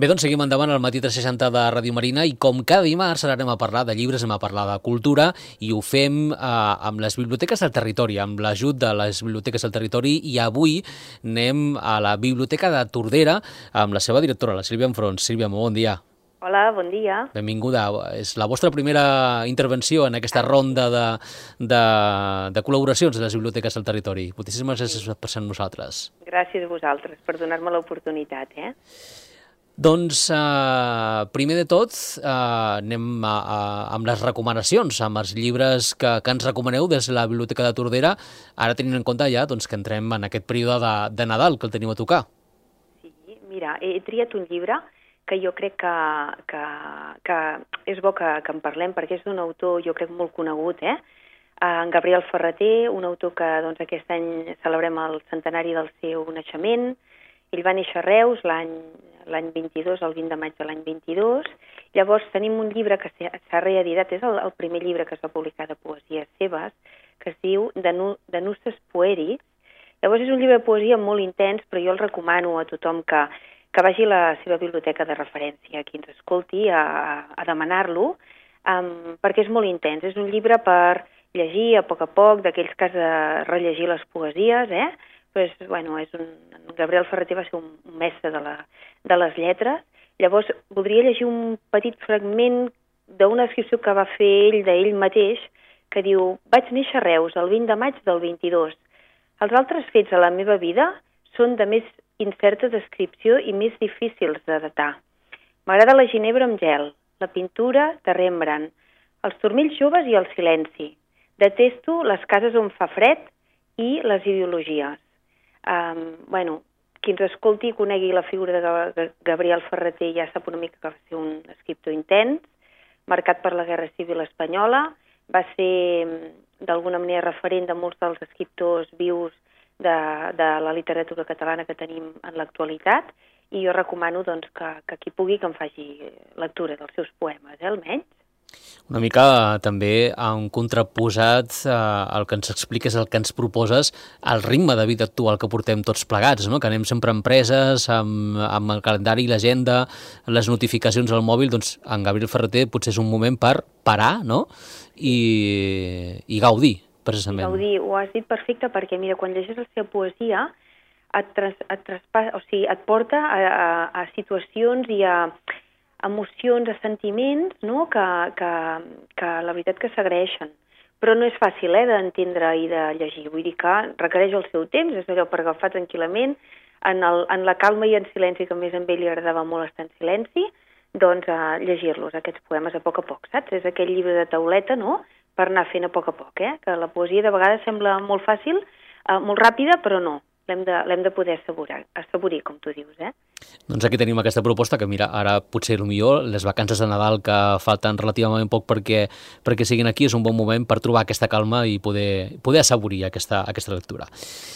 Bé, doncs seguim endavant al Matí 360 de Ràdio Marina i com cada dimarts ara anem a parlar de llibres, anem a parlar de cultura i ho fem amb les biblioteques del territori, amb l'ajut de les biblioteques del territori i avui anem a la Biblioteca de Tordera amb la seva directora, la Sílvia Enfrons. Sílvia, molt bon dia. Hola, bon dia. Benvinguda. És la vostra primera intervenció en aquesta ronda de col·laboracions de les biblioteques del territori. Moltíssimes gràcies per ser amb nosaltres. Gràcies a vosaltres per donar-me l'oportunitat. Doncs, primer de tot, anem amb les recomanacions, amb els llibres que ens recomaneu des de la Biblioteca de Tordera, ara tenint en compte ja que entrem en aquest període de Nadal que el teniu a tocar. Sí, mira, he triat un llibre que jo crec que és bo que en parlem, perquè és d'un autor, jo crec, molt conegut, en Gabriel Ferrater, un autor que aquest any celebrem el centenari del seu naixement. Ell va néixer a Reus l'any 22, el 20 de maig de l'any 22. Llavors tenim un llibre que s'ha reeditat, és el primer llibre que es va publicar de poesies seves, que es diu De Nusses Pueris. Llavors és un llibre de poesia molt intens, però jo el recomano a tothom que vagi a la seva biblioteca de referència, qui ens escolti, a demanar-lo, perquè és molt intens. És un llibre per llegir a poc, d'aquells que has de rellegir les poesies, Pues, bueno, Gabriel Ferrater va ser un mestre de les lletres. Llavors, voldria llegir un petit fragment d'una descripció que va fer ell d'ell mateix, que diu: vaig néixer a Reus el 20 de maig del 22. Els altres fets a la meva vida són de més incerta descripció i més difícils de datar. M'agrada la ginebra amb gel, la pintura de Rembrandt, els turmells joves i el silenci. Detesto les cases on fa fred i les ideologies. Qui ens escolti i conegui la figura de Gabriel Ferrater ja sap una mica que va ser un escriptor intens, marcat per la Guerra Civil Espanyola, va ser d'alguna manera referent de molts dels escriptors vius de la literatura catalana que tenim en l'actualitat, i jo recomano que qui pugui que em faci lectura dels seus poemes, almenys. Una mica també en contraposat el que ens expliques, el que ens proposes, el ritme de vida actual que portem tots plegats, no? Que anem sempre empreses, amb el calendari i l'agenda, les notificacions al mòbil, doncs en Gabriel Ferrater potser és un moment per parar, no? I gaudir, precisament. Gaudir, ho has dit perfecte, perquè mira, quan llegeixes la seva poesia et porta a situacions i a emocions, a sentiments, no? que la veritat que s'agraeixen. Però no és fàcil d'entendre i de llegir. Vull dir que requereix el seu temps, és allò per agafar tranquil·lament, en la calma i en silenci, que més a ell li agradava molt estar en silenci, doncs llegir-los, aquests poemes a poc, saps? És aquell llibre de tauleta, no?, per anar fent a poc, que la poesia de vegades sembla molt fàcil, molt ràpida, però no. L'hem de poder assaborir, com tu dius, Doncs aquí tenim aquesta proposta que, mira, ara potser millor les vacances de Nadal que falten relativament poc perquè siguin aquí, és un bon moment per trobar aquesta calma i poder assaborir aquesta lectura.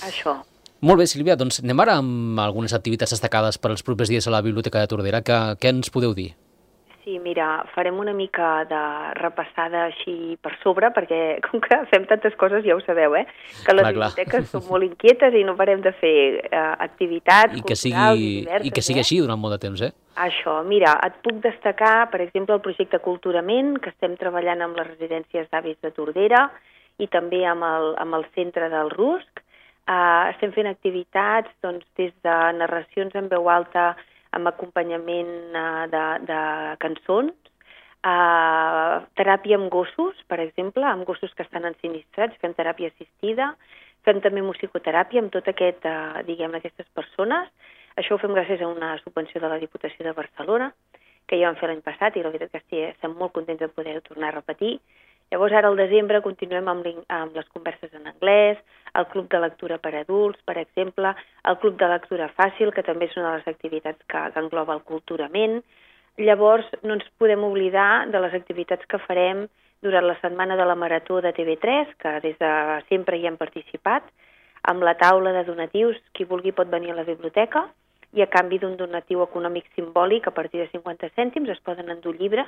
Això. Molt bé, Sílvia, doncs anem ara amb algunes activitats destacades per als propers dies a la Biblioteca de Tordera. Què ens podeu dir? Sí, mira, farem una mica de repassada així per sobre, perquè com que fem tantes coses, ja ho sabeu, que les biblioteques són molt inquietes i no parem de fer activitats culturals i diverses. I que sigui així durant molt de temps, Això, mira, et puc destacar, per exemple, el projecte Culturament, que estem treballant amb les residències d'avis de Tordera i també amb el centre del Rusc. Estem fent activitats des de narracions en veu alta amb acompanyament de cançons, teràpia amb gossos, per exemple, amb gossos que estan ensinistrats, fem teràpia assistida, fem també musicoteràpia amb tot aquestes persones. Això ho fem gràcies a una subvenció de la Diputació de Barcelona, que ja vam fer l'any passat, i la veritat que estem molt contents de poder-ho tornar a repetir. Llavors, ara al desembre continuem amb les converses en anglès, el club de lectura per adults, per exemple, el club de lectura fàcil, que també és una de les activitats que engloba el Culturament. Llavors, no ens podem oblidar de les activitats que farem durant la setmana de la Marató de TV3, que des de sempre hi hem participat, amb la taula de donatius. Qui vulgui pot venir a la biblioteca i a canvi d'un donatiu econòmic simbòlic a partir de 50 cèntims es poden endur llibres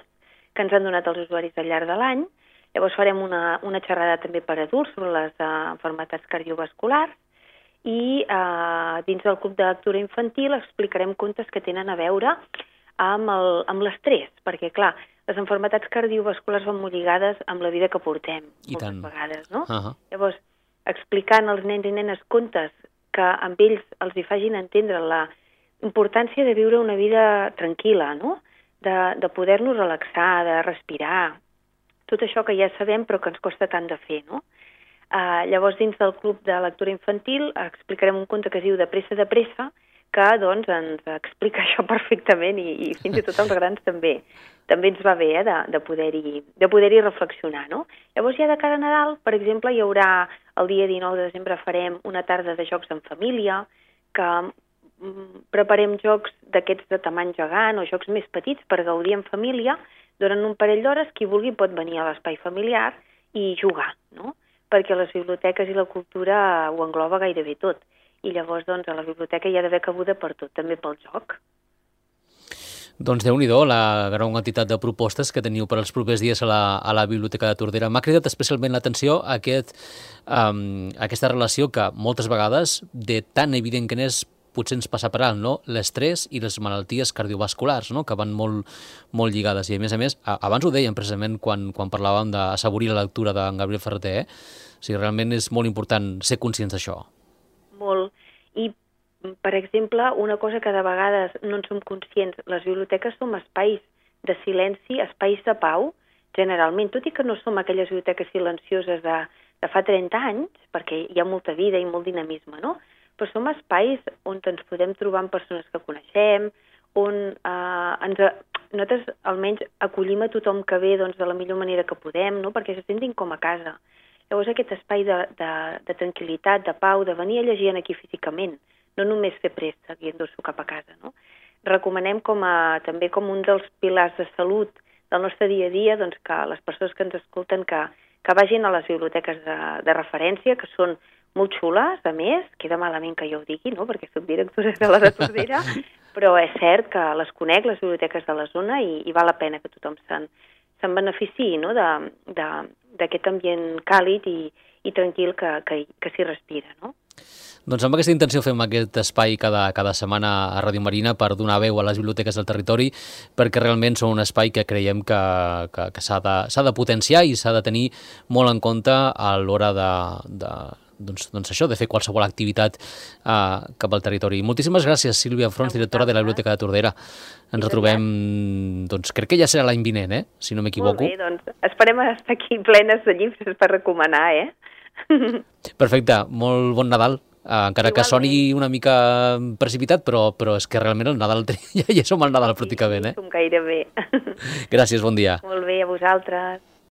que ens han donat els usuaris al llarg de l'any. Llavors farem una xerrada també per adults sobre les malalties cardiovasculars i dins del club de lectura infantil explicarem contes que tenen a veure amb l'estrès, perquè, clar, les malalties cardiovasculars van molt lligades amb la vida que portem, moltes vegades, no? Llavors, explicant als nens i nenes contes que amb ells els hi facin entendre la importància de viure una vida tranquil·la, no? De poder-nos relaxar, de respirar, tot això que ja sabem però que ens costa tant de fer, no? Llavors, dins del club de lectura infantil explicarem un conte que es diu De pressa, que doncs ens explica això perfectament i fins i tot els grans també ens va bé de poder-hi reflexionar, no? Llavors ja de cara a Nadal, per exemple, hi haurà el dia 19 de desembre farem una tarda de jocs en família, que preparem jocs d'aquests de tamany gegant o jocs més petits per gaudir en família durant un parell d'hores. Qui vulgui pot venir a l'espai familiar i jugar, no? Perquè les biblioteques i la cultura ho engloba gairebé tot. I llavors, doncs, a la biblioteca hi ha d'haver cabuda per tot, també pel joc. Doncs Déu-n'hi-do la gran quantitat de propostes que teniu per als propers dies a la Biblioteca de Tordera. M'ha cridat especialment l'atenció aquesta relació que moltes vegades, de tan evident que n'és, potser ens passa per alt, no? L'estrès i les malalties cardiovasculars, no? Que van molt, molt lligades. I a més, abans ho dèiem precisament quan parlàvem d'assaborir la lectura d'en Gabriel Ferrater, O sigui, realment és molt important ser conscients d'això. Molt. I per exemple, una cosa que de vegades no en som conscients, les biblioteques som espais de silenci, espais de pau, generalment, tot i que no som aquelles biblioteques silencioses de fa 30 anys, perquè hi ha molta vida i molt dinamisme, no? Però som espais on ens podem trobar amb persones que coneixem, on nosaltres almenys acollim a tothom que ve doncs, de la millor manera que podem, no? Perquè se sentin com a casa. Llavors aquest espai de tranquil·litat, de pau, de venir a llegir aquí físicament, no només fer préstec i endur-s'ho cap a casa, no? Recomanem també com un dels pilars de salut del nostre dia a dia doncs, que les persones que ens escolten que vagin a les biblioteques de referència, que són molt xules, a més, queda malament que jo ho digui, no? Perquè soc directora de la de Tordera, però és cert que les conec, les biblioteques de la zona, i val la pena que tothom se'n beneficiï, no? D'aquest ambient càlid i tranquil que s'hi respira, no? Doncs amb aquesta intenció fem aquest espai cada setmana a Ràdio Marina per donar veu a les biblioteques del territori, perquè realment són un espai que creiem que s'ha de potenciar i s'ha de tenir molt en compte a l'hora doncs això, de fer qualsevol activitat cap al territori. Moltíssimes gràcies, Sílvia Frons, directora de la Biblioteca de Tordera. Ens retrobem, doncs crec que ja serà l'any vinent, si no m'equivoco. Molt bé, doncs esperem estar aquí plenes de llibres per recomanar, Perfecte, molt bon Nadal. Encara que soni una mica precipitat, però és que realment el Nadal ja som al Nadal pràcticament. Som gairebé. Gràcies, bon dia. Molt bé, a vosaltres.